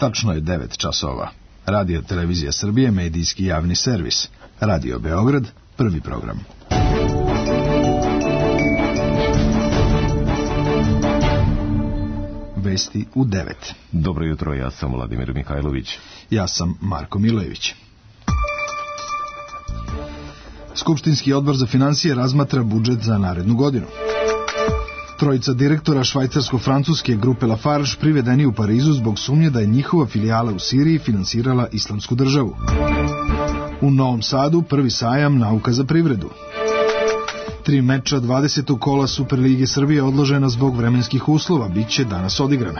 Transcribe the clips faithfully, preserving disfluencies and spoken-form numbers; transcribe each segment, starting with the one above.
Tačno je devet časova. Radio Televizija Srbije, medijski javni servis. Radio Beograd, prvi program. Vesti u devet. Dobro jutro, ja sam Vladimir Mihajlović. Ja sam Marko Milojević. Skupštinski odbor za finansije razmatra budžet za narednu godinu. Trojica direktora švajcarsko-francuske grupe Lafarge privedeni u Parizu zbog sumnje da je njihova filijala u Siriji finansirala Islamsku državu. U Novom Sadu prvi sajam Nauka za privredu. Tri meča dvadesetog kola Superlige Srbije odložena zbog vremenskih uslova, bit će danas odigrana.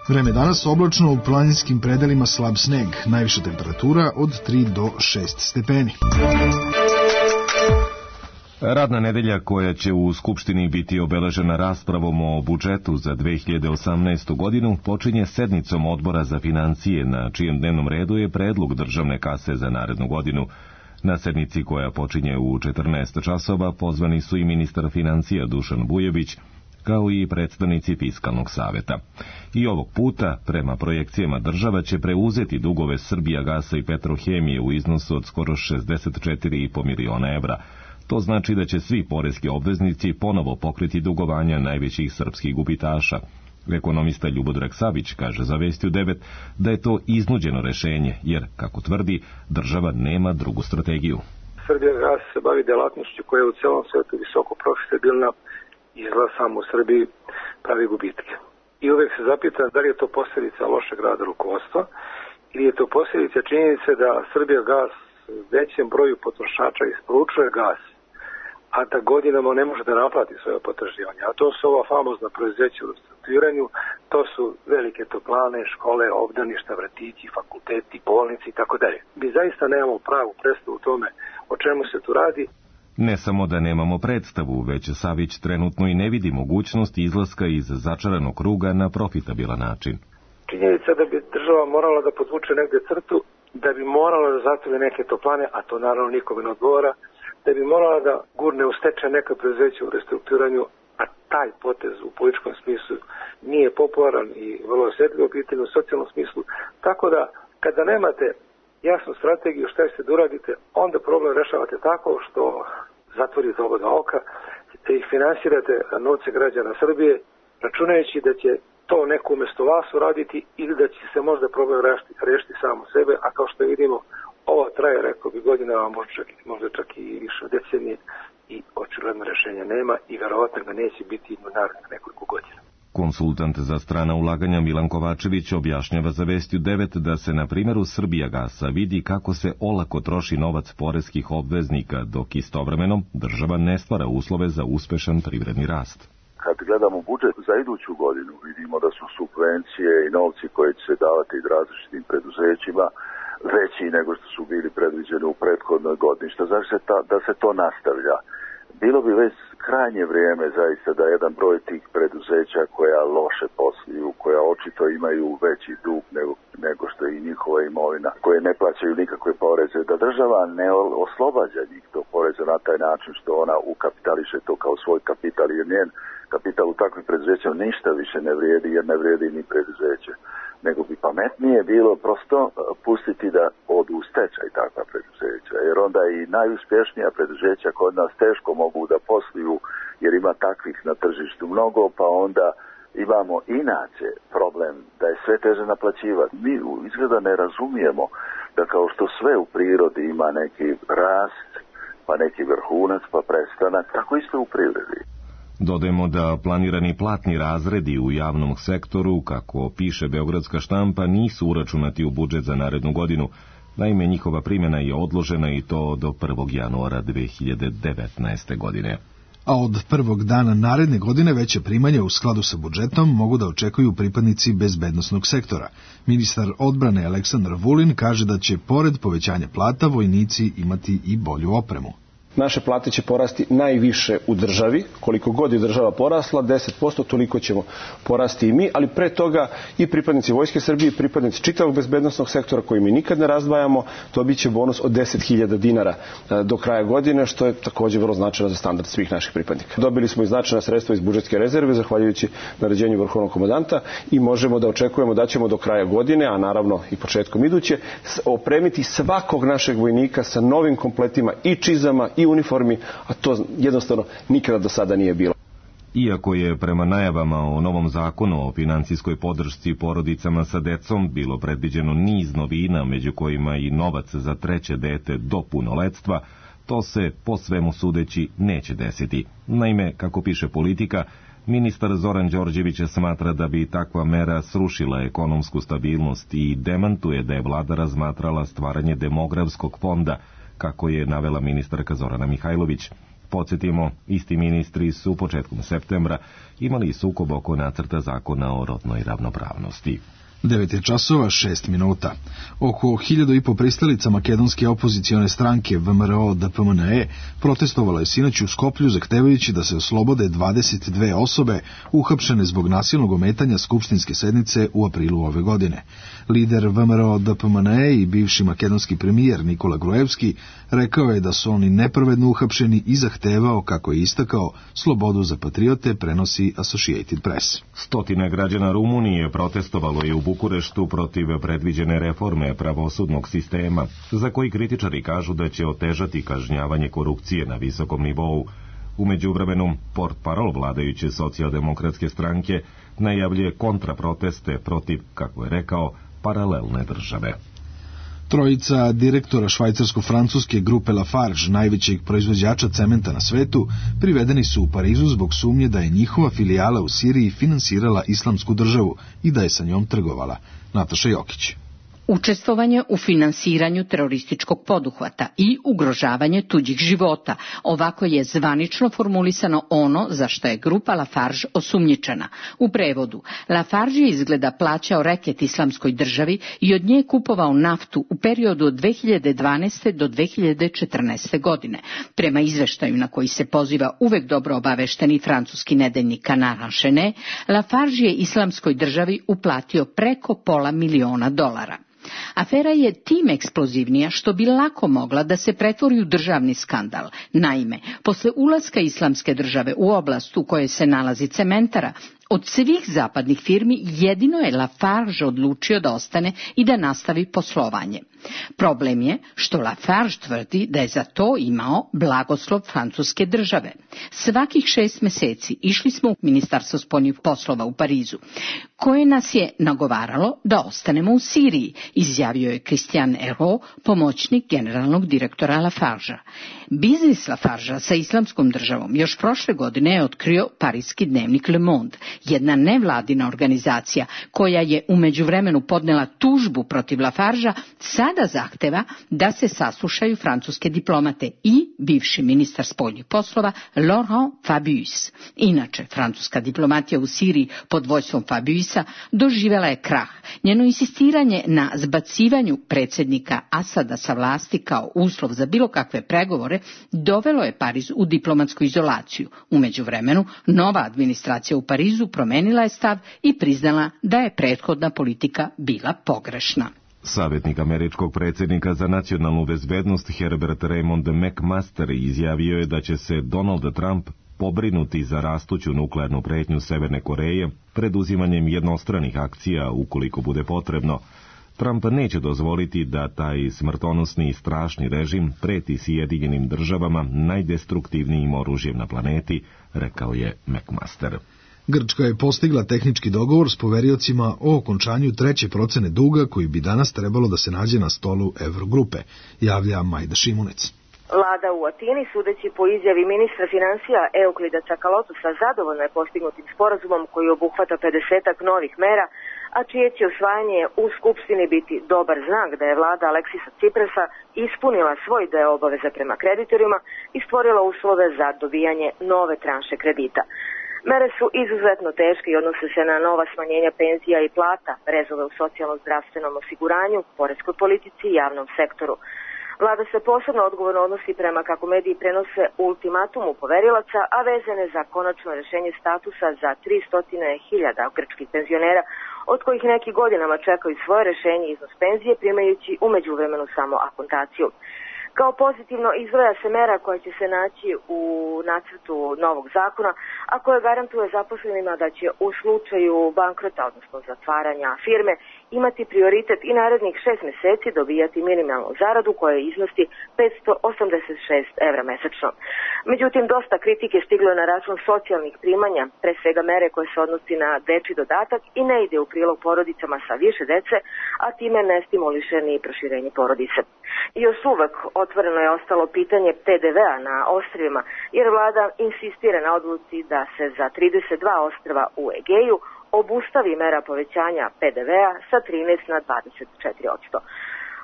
Vreme danas oblačno, u planinskim predelima slab sneg, najviša temperatura od tri do šest stepeni. Radna nedelja koja će u Skupštini biti obeležena raspravom o budžetu za dve hiljade osamnaestu. godinu počinje sednicom Odbora za financije, na čijem dnevnom redu je predlog državne kase za narednu godinu. Na sednici koja počinje u četrnaest časova pozvani su i ministar financija Dušan Bujović, kao i predstavnici Fiskalnog saveta. I ovog puta, prema projekcijama, država će preuzeti dugove Srbijagasa i Petrohemije u iznosu od skoro šezdeset četiri i po miliona evra. To znači da će svi poreski obveznici ponovo pokriti dugovanja najvećih srpskih gubitaša. Ekonomista Ljubodrag Savić kaže za Vesti u devet da je to iznuđeno rešenje, jer, kako tvrdi, država nema drugu strategiju. Srbijagas se bavi delatnošću koja je u celom svetu visoko profitabilna, izgleda samo u Srbiji pravi gubitke. I uvek se zapita da li je to posljedica lošeg rada rukovodstva ili je to posljedica činjenice da Srbijagas većem broju potrošača isporučuje gas, a da godinama ne može da naplati svoje potraživanja. A to su ova famozna preduzeća u restrukturiranju, to su velike toplane, škole, obdaništa, vrtići, fakulteti, bolnici i tako dalje. Mi zaista nemamo pravu predstavu u tome o čemu se tu radi. Ne samo da nemamo predstavu, već Savić trenutno i ne vidi mogućnost izlaska iz začaranog kruga na profitabilan način. Činjenica da bi država morala da podvuče negde crtu, da bi morala da zatvori neke toplane, a to naravno nikome ne odgovara, da bi morala da gurne u stečaj neka preduzeća u restrukturiranju, a taj potez u političkom smislu nije popularan i vrlo osjetljivo pitanje u socijalnom smislu. Tako da, kada nemate jasnu strategiju šta ćete da uradite, onda problem rešavate tako što zatvorite oba dva oka, te ih finansirate novce građana Srbije, računajući da će to neko umjesto vas uraditi ili da će se možda problem rešiti, rešiti samo sebe, a kao što vidimo, ovo traje, rekao bi, godinama, možda čak, možda čak i više decenije i očigledno rešenja nema i verovatno ga neće biti u narednih nekoliko godina. Konsultant za strana ulaganja Milan Kovačević objašnjava za Vesti u devet da se na primjeru Srbijagasa vidi kako se olako troši novac poreskih obveznika, dok istovremeno država ne stvara uslove za uspešan privredni rast. Kad gledamo budžet za iduću godinu, vidimo da su subvencije i novci koji će se davati različitim preduzećima veći nego što su bili predviđeni u prethodnoj godini. Što znači da se to nastavlja. Bilo bi već krajnje vrijeme zaista da jedan broj tih preduzeća koja loše posluju, koja očito imaju veći dug nego, nego što je i njihova imovina, koje ne plaćaju nikakve poreze, da država ne oslobađa njih to poreze na taj način što ona ukapitališe to kao svoj kapital, jer njen kapital u takvim preduzećima ništa više ne vrijedi, jer ne vrijedi ni preduzeće. Nego bi pametnije bilo prosto pustiti da odu u stečaj takva preduzeća, jer onda i najuspješnija preduzeća kod nas teško mogu da posluju, jer ima takvih na tržištu mnogo, pa onda imamo inače problem da je sve teže naplaćivati. Mi izgleda ne razumijemo da kao što sve u prirodi ima neki rast, pa neki vrhunac, pa prestanak, tako isto u privredi. Dodajemo da planirani platni razredi u javnom sektoru, kako piše beogradska štampa, nisu uračunati u budžet za narednu godinu. Naime, njihova primjena je odložena i to do prvog januara dve hiljade devetnaeste. godine. A od prvog dana naredne godine veće primanja u skladu sa budžetom mogu da očekuju pripadnici bezbednosnog sektora. Ministar odbrane Aleksandar Vulin kaže da će pored povećanja plata vojnici imati i bolju opremu. Naše plate će porasti najviše u državi, koliko god je država porasla, deset posto, toliko ćemo porasti i mi, ali pre toga i pripadnici Vojske Srbije i pripadnici čitavog bezbednosnog sektora koji mi nikad ne razdvajamo, dobit će bonus od deset hiljada dinara do kraja godine, što je također vrlo značajno za standard svih naših pripadnika. Dobili smo i značajna sredstva iz budžetske rezerve, zahvaljujući naređenju Vrhovnog komandanta, i možemo da očekujemo da ćemo do kraja godine, a naravno i početkom iduće, opremiti svakog našeg vojnika sa novim kompletima i čizama i uniformi, a to jednostavno nikada do sada nije bilo. Iako je prema najavama o novom zakonu o financijskoj podršci porodicama sa decom bilo predviđeno niz novina, među kojima i novac za treće dete do punoletstva, to se, po svemu sudeći, neće desiti. Naime, kako piše Politika, ministar Zoran Đorđević smatra da bi takva mera srušila ekonomsku stabilnost i demantuje da je vlada razmatrala stvaranje demografskog fonda, kako je navela ministarka Zorana Mihajlović. Podsjetimo, isti ministri su početkom septembra imali sukob oko nacrta zakona o rodnoj ravnopravnosti. devet je časova, šest minuta. Oko hiljadu i po pristalica makedonske opozicione stranke V M R O D P M N E protestovalo je sinoć u Skoplju zahtevajući da se oslobode dvadeset dve osobe uhapšene zbog nasilnog ometanja skupštinske sednice u aprilu ove godine. Lider V M R O D P M N E i bivši makedonski premijer Nikola Gruevski rekao je da su oni nepravedno uhapšeni i zahtevao, kako je istakao, slobodu za patriote, prenosi Associated Press. Stotine građana Rumunije protestovalo je u Bukureštu protiv predviđene reforme pravosudnog sistema, za koji kritičari kažu da će otežati kažnjavanje korupcije na visokom nivou. U međuvremenu, portparol vladajuće socijaldemokratske stranke najavljuje kontraproteste protiv, kako je rekao, paralelne države. Trojica direktora švajcarsko-francuske grupe Lafarge, najvećeg proizvođača cementa na svetu, privedeni su u Parizu zbog sumnje da je njihova filijala u Siriji finansirala islamsku državu i da je sa njom trgovala. Nataša Jokić. Učestvovanje u finansiranju terorističkog poduhvata i ugrožavanje tuđih života. Ovako je zvanično formulisano ono za što je grupa Lafarge osumnjičena. U prevodu, Lafarge je izgleda plaćao reket islamskoj državi i od nje kupovao naftu u periodu od dve hiljade dvanaeste do dve hiljade četrnaeste. godine. Prema izveštaju na koji se poziva uvek dobro obavešteni francuski nedeljnik Canard Enchaîné, Lafarge je islamskoj državi uplatio preko pola miliona dolara. Afera je tim eksplozivnija što bi lako mogla da se pretvori u državni skandal. Naime, posle ulaska islamske države u oblast u kojoj se nalazi cementara, od svih zapadnih firmi jedino je Lafarge odlučio da ostane i da nastavi poslovanje. Problem je što Lafarge tvrdi da je za to imao blagoslov francuske države. Svakih šest meseci išli smo u Ministarstvo spoljnih poslova u Parizu, koje nas je nagovaralo da ostanemo u Siriji, izjavio je Christian Hérault, pomoćnik generalnog direktora Lafargea. Biznis Lafargea sa islamskom državom još prošle godine je otkrio parijski dnevnik Le Monde, jedna nevladina organizacija koja je u međuvremenu podnela tužbu protiv Lafargea, sada zahteva da se saslušaju francuske diplomate i bivši ministar spoljnih poslova Laurent Fabius. Inače, francuska diplomatija u Siriji pod vođstvom Fabiusa doživela je krah. Njeno insistiranje na zbacivanju predsjednika Asada sa vlasti kao uslov za bilo kakve pregovore dovelo je Pariz u diplomatsku izolaciju. U međuvremenu, nova administracija u Parizu promenila je stav i priznala da je prethodna politika bila pogrešna. Savjetnik američkog predsjednika za nacionalnu bezbednost Herbert Raymond McMaster izjavio je da će se Donald Trump pobrinuti za rastuću nuklearnu pretnju Severne Koreje preduzimanjem jednostranih akcija ukoliko bude potrebno. Trump neće dozvoliti da taj smrtonosni i strašni režim preti Sjedinjenim državama najdestruktivnijim oružjem na planeti, rekao je McMaster. Grčka je postigla tehnički dogovor s poveriocima o okončanju treće procene duga koji bi danas trebalo da se nađe na stolu Eurogrupe, javlja Majda Šimunec. Vlada u Atini, sudeći po izjavi ministra finansija Euklida Čakalotusa, zadovoljna je postignutim sporazumom koji obuhvata pedesetak novih mera, a čije će usvajanje u Skupštini biti dobar znak da je vlada Aleksisa Ciprasa ispunila svoj deo obaveza prema kreditorima i stvorila uslove za dobijanje nove tranše kredita. Mere su izuzetno teške i odnose se na nova smanjenja penzija i plata, rezove u socijalno-zdravstvenom osiguranju, poreskoj politici i javnom sektoru. Vlada se posebno odgovorno odnosi prema, kako mediji prenose, ultimatumu poverilaca, a vezane za konačno rešenje statusa za tristo hiljada grčkih penzionera, od kojih neki godinama čekaju svoje rešenje i iznos penzije, primajući u međuvremenu samo akontaciju. Kao pozitivno izdvaja se mera koja će se naći u nacrtu novog zakona, a koja garantuje zaposlenima da će u slučaju bankrota, odnosno zatvaranja firme, imati prioritet i narednih šest meseci dobijati minimalnu zaradu koja iznosi petsto osamdeset šest evra mesečno. Međutim, dosta kritike stiglo je na račun socijalnih primanja, pre svega mere koje se odnosi na dečji dodatak i ne ide u prilog porodicama sa više dece, a time ne stimuliše ni proširenje porodice. I još uvek otvoreno je ostalo pitanje P D V-a na ostrvima, jer vlada insistira na odluci da se za trideset dva ostrva u Egeju obustavi mera povećanja P D V-a sa trinaest na dvadeset četiri posto.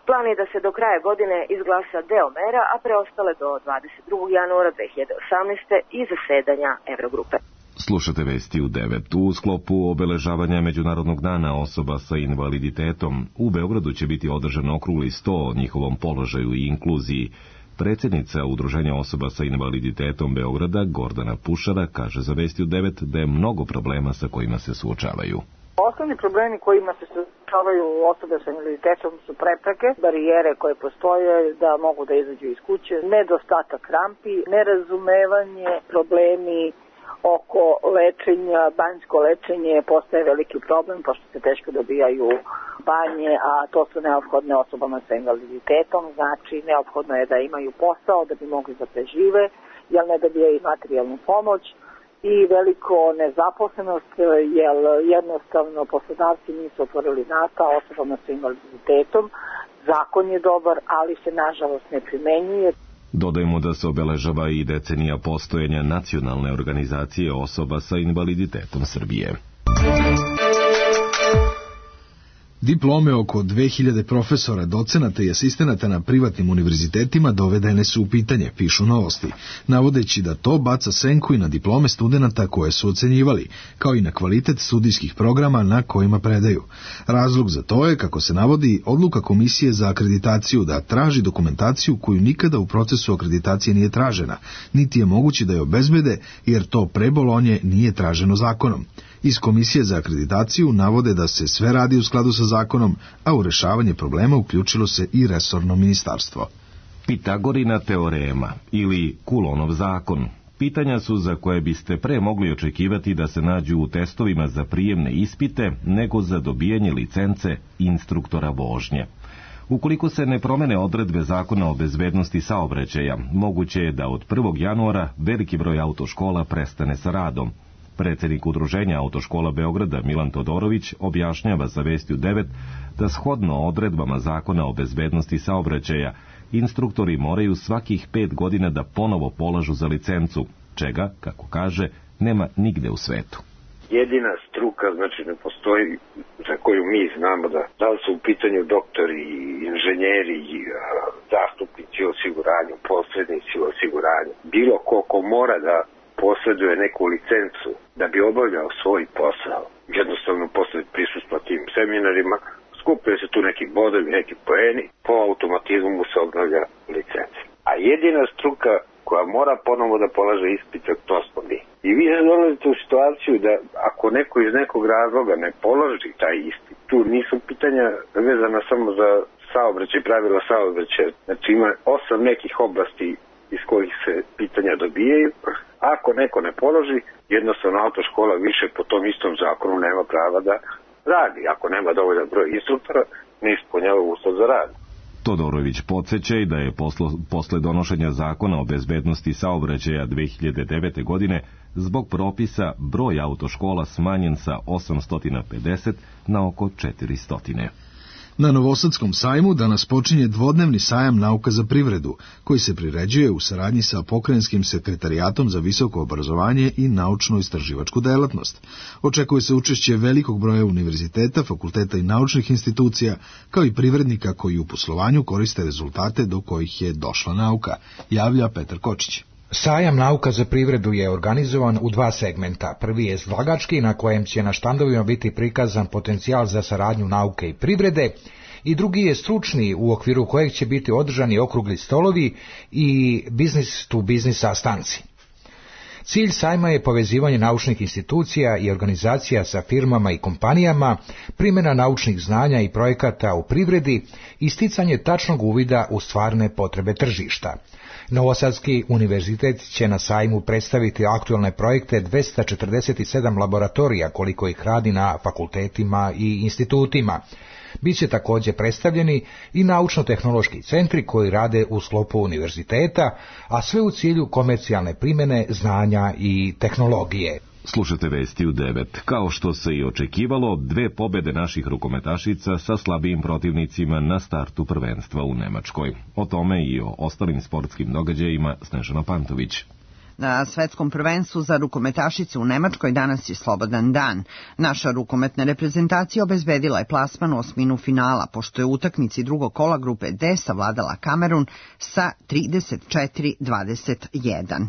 Plan je da se do kraja godine izglasa deo mera, a preostale do dvadeset drugog januara dve hiljade osamnaeste. i zasedanja Evrogrupe. Slušate vesti u devet. U sklopu obeležavanja Međunarodnog dana osoba sa invaliditetom u Beogradu će biti održan okrugli sto o njihovom položaju i inkluziji. Predsjednica Udruženja osoba sa invaliditetom Beograda, Gordana Pušara, kaže za vesti u devet da je mnogo problema sa kojima se suočavaju. Osnovni problemi kojima se suočavaju osobe sa invaliditetom su prepreke, barijere koje postoje da mogu da izađu iz kuće, nedostatak rampi, nerazumevanje, problemi oko lečenja, banjsko lečenje postaje veliki problem, pošto se teško dobijaju banje, a to su neophodne osobama sa invaliditetom, znači neophodno je da imaju posao da bi mogli da prežive, jer ne dobijaju materijalnu pomoć i veliko nezaposlenost, jer jednostavno poslodavci nisu otvorili vrata osobama sa invaliditetom. Zakon je dobar, ali se nažalost ne primenjuje. Dodajemo da se obeležava i decenija postojanja nacionalne organizacije osoba sa invaliditetom Srbije. Diplome oko dve hiljade profesora, docenata i asistenata na privatnim univerzitetima dovedene su u pitanje, pišu Novosti, navodeći da to baca senku i na diplome studenata koje su ocenjivali, kao i na kvalitet studijskih programa na kojima predaju. Razlog za to je, kako se navodi, odluka Komisije za akreditaciju da traži dokumentaciju koju nikada u procesu akreditacije nije tražena, niti je moguće da je obezbede, jer to pre Bolonje nije traženo zakonom. Iz Komisije za akreditaciju navode da se sve radi u skladu sa zakonom, a u rešavanje problema uključilo se i resorno ministarstvo. Pitagorina teorema ili Kulonov zakon. Pitanja su za koje biste pre mogli očekivati da se nađu u testovima za prijemne ispite nego za dobijanje licence instruktora vožnje. Ukoliko se ne promene odredbe zakona o bezbednosti saobraćaja, moguće je da od prvog januara veliki broj autoškola prestane sa radom. Predsjednik Udruženja autoškola Beograda Milan Todorović objašnjava za vesti u devet da shodno odredbama zakona o bezbednosti saobraćaja instruktori moraju svakih pet godina da ponovo polažu za licencu, čega, kako kaže, nema nigde u svetu. Jedina struka, znači ne postoji, za koju mi znamo da, da li su u pitanju doktori, inženjeri, zastupnici u osiguranju, posrednici u osiguranju, bilo ko ko mora da posjeduje neku licencu da bi obavljao svoj posao. Jednostavno posle prisustva tim seminarima skupljaju se tu neki bodovi, neki poeni, po automatizmu mu se obnavlja licenca. A jedina struka koja mora ponovo da polaže ispite, to smo mi. I vi se dolazite u situaciju da ako neko iz nekog razloga ne položi taj ispit, tu nisu pitanja vezana samo za saobraćaj, pravila saobraćaja. Znači ima osam nekih oblasti iz kojih se pitanja dobijaju. Ako neko ne položi, jednostavno autoškola više po tom istom zakonu nema prava da radi. Ako nema dovoljan broj instruktora, ne ispunjava uslov za rad. Todorović podsjeća i da je poslo, posle donošenja zakona o bezbednosti saobraćaja dve hiljade devete. godine zbog propisa broj autoškola smanjen sa osamsto pedeset na oko četiristo. Na Novosadskom sajmu danas počinje dvodnevni sajam nauka za privredu, koji se priređuje u saradnji sa Pokrajinskim sekretarijatom za visoko obrazovanje i naučno-istraživačku delatnost. Očekuje se učešće velikog broja univerziteta, fakulteta i naučnih institucija, kao i privrednika koji u poslovanju koriste rezultate do kojih je došla nauka, javlja Petar Kočić. Sajam nauka za privredu je organizovan u dva segmenta. Prvi je izlagački, na kojem će na štandovima biti prikazan potencijal za saradnju nauke i privrede, i drugi je stručni, u okviru kojeg će biti održani okrugli stolovi i business to business sastanci. Cilj sajma je povezivanje naučnih institucija i organizacija sa firmama i kompanijama, primjena naučnih znanja i projekata u privredi i sticanje tačnog uvida u stvarne potrebe tržišta. Novosadski univerzitet će na sajmu predstaviti aktualne projekte dvesta četrdeset sedam laboratorija koliko ih radi na fakultetima i institutima. Biće također predstavljeni i naučno-tehnološki centri koji rade u sklopu univerziteta, a sve u cilju komercijalne primjene znanja i tehnologije. Slušate vesti u devet. Kao što se i očekivalo, dve pobjede naših rukometašica sa slabijim protivnicima na startu prvenstva u Nemačkoj. O tome i o ostalim sportskim događajima Snežana Pantović. Na svetskom prvenstvu za rukometašice u Nemačkoj danas je slobodan dan. Naša rukometna reprezentacija obezbedila je plasman u osminu finala, pošto je u utakmici drugog kola grupe D savladala Kamerun sa trideset četiri dvadeset jedan.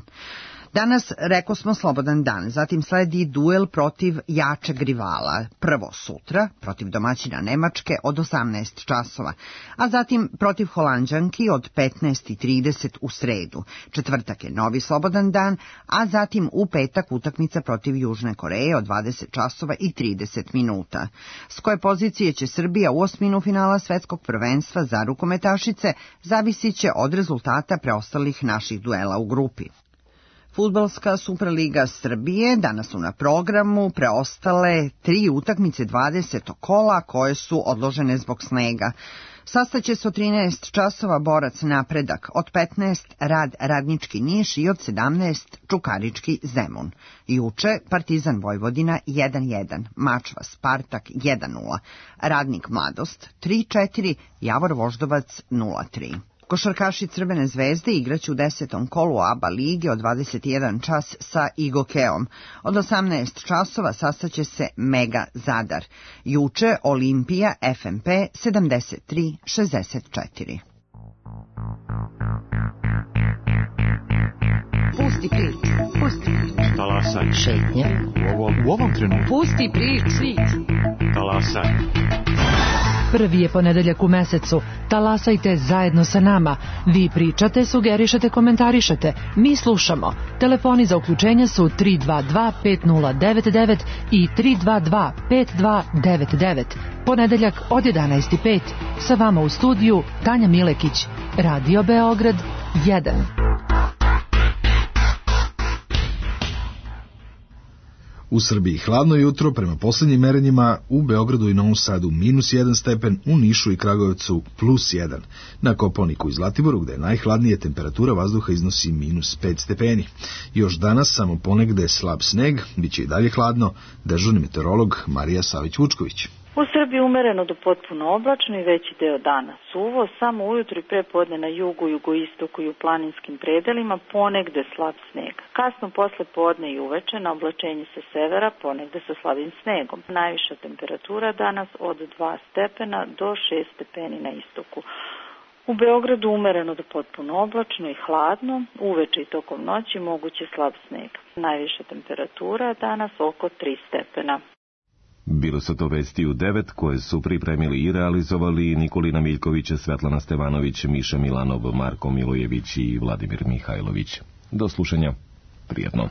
Danas, reko smo, slobodan dan, zatim sledi duel protiv jačeg rivala, prvo sutra, protiv domaćina Nemačke od osamnaest časova, a zatim protiv Holanđanki od petnaest i trideset u sredu. Četvrtak je novi slobodan dan, a zatim u petak utakmica protiv Južne Koreje od dvadeset časova i trideset minuta. S koje pozicije će Srbija u osminu finala svetskog prvenstva za rukometašice zavisit će od rezultata preostalih naših duela u grupi. Fudbalska Superliga Srbije danas su na programu preostale tri utakmice dvadesetog kola koje su odložene zbog snega. Sastaće se od trinaest časova Borac Napredak, od petnaest Rad Radnički Niš i od sedamnaest Čukarički Zemun. Juče Partizan Vojvodina jedan jedan, Mačva Spartak jedan nula, Radnik Mladost tri četiri, Javor Voždovac nula tri. Košarkaši Crvene zvezde igraće u desetom kolu A B A lige od dvadeset jedan čas sa Igokeom. Od osamnaest časova sastaće se Mega Zadar. Juče Olimpija F M P sedamdeset tri šezdeset četiri. Pusti prič, pusti prič. Talasaj. Šetnja. U ovom, u ovom trenutku. Pusti prič, prič. Talasaj. Prvi je ponedeljak u mesecu. Talasajte zajedno sa nama. Vi pričate, sugerišete, komentarišete. Mi slušamo. Telefoni za uključenje su tri dva dva pet nula devet devet i tri dva dva pet dva devet devet. Ponedeljak od jedanaest i pet. Sa vama u studiju Tanja Milekić. Radio Beograd jedan. U Srbiji hladno jutro, prema posljednjim merenjima, u Beogradu i Novom Sadu minus jedan stepen, u Nišu i Kragujevcu plus jedan. Na Kopaoniku i Zlatiboru, gde je najhladnije, temperatura vazduha iznosi minus pet stepeni. Još danas samo ponegde slab sneg, bit će i dalje hladno, dežurni meteorolog Marija Savić-Vučković. U Srbiji umereno do potpuno oblačno i veći deo dana suvo, samo ujutru i prepodne na jugu, jugoistoku i u planinskim predelima ponegde slab sneg. Kasno posle podne i uveče na oblačenje sa severa ponegde sa slabim snegom. Najviša temperatura danas od dva stepena do šest stepeni na istoku. U Beogradu umereno do potpuno oblačno i hladno, uveče i tokom noći moguće slab sneg. Najviša temperatura danas oko tri stepena. Bilo su to vesti u devet koje su pripremili i realizovali Nikolina Miljković, Svetlana Stevanović, Miša Milanov, Marko Milojević i Vladimir Mihajlović. Do slušanja. Prijetno.